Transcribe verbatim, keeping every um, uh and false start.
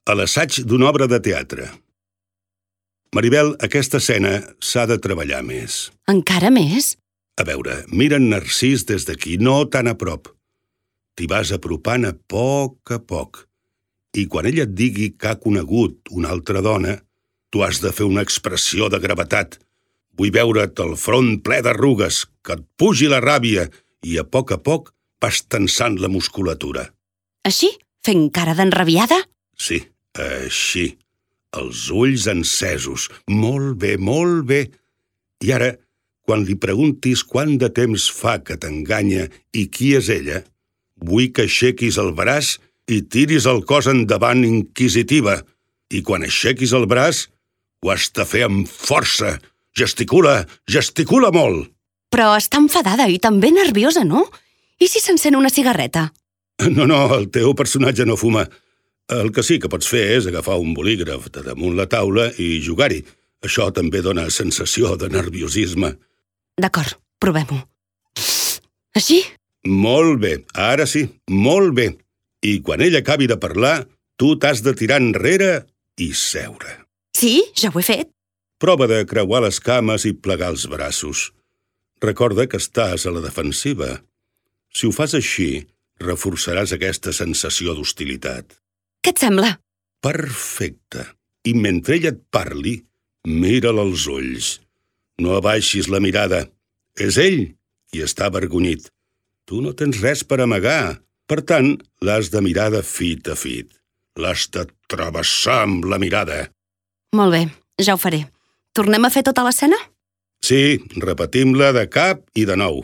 a l'assaig d'una obra de teatre. Maribel, aquesta escena s'ha de treballar més. Encara més? A veure, mira en Narcís des d'aquí, no tan a prop. T'hi vas apropant a poc a poc. I quan ella et digui que ha conegut una altra dona, tu has de fer una expressió de gravetat. Vull veure't el front ple d'arrugues, que et pugi la ràbia i a poc a poc vas tensant la musculatura. Així? Fent cara d'enrabiada? Sí, així. Els ulls encesos. Molt bé, molt bé. I ara, quan li preguntis quant de temps fa que t'enganya i qui és ella, vull que aixequis el braç i tiris el cos endavant inquisitiva. I quan aixequis el braç, ho has de fer amb força. Gesticula, gesticula molt. Però està enfadada i també nerviosa, no? I si s'encén una cigarreta? No, no, el teu personatge no fuma. El que sí que pots fer és agafar un bolígraf de damunt la taula i jugar-hi. Això també dona sensació de nerviosisme. D'acord, provem-ho. Així? Molt bé, ara sí, molt bé. I quan ella acabi de parlar, tu t'has de tirar enrere i seure. Sí, ja ho he fet. Prova de creuar les cames i plegar els braços. Recorda que estàs a la defensiva. Si ho fas així, reforçaràs aquesta sensació d'hostilitat. Què et sembla? Perfecte. I mentre ella et parli, mira'l als ulls. No abaixis la mirada. És ell qui està avergonyit. Tu no tens res per amagar. Per tant, l'has de mirar de fit a fit. L'has de travessar amb la mirada. Molt bé, ja ho faré. Tornem a fer tota l'escena? Sí, repetim-la de cap i de nou.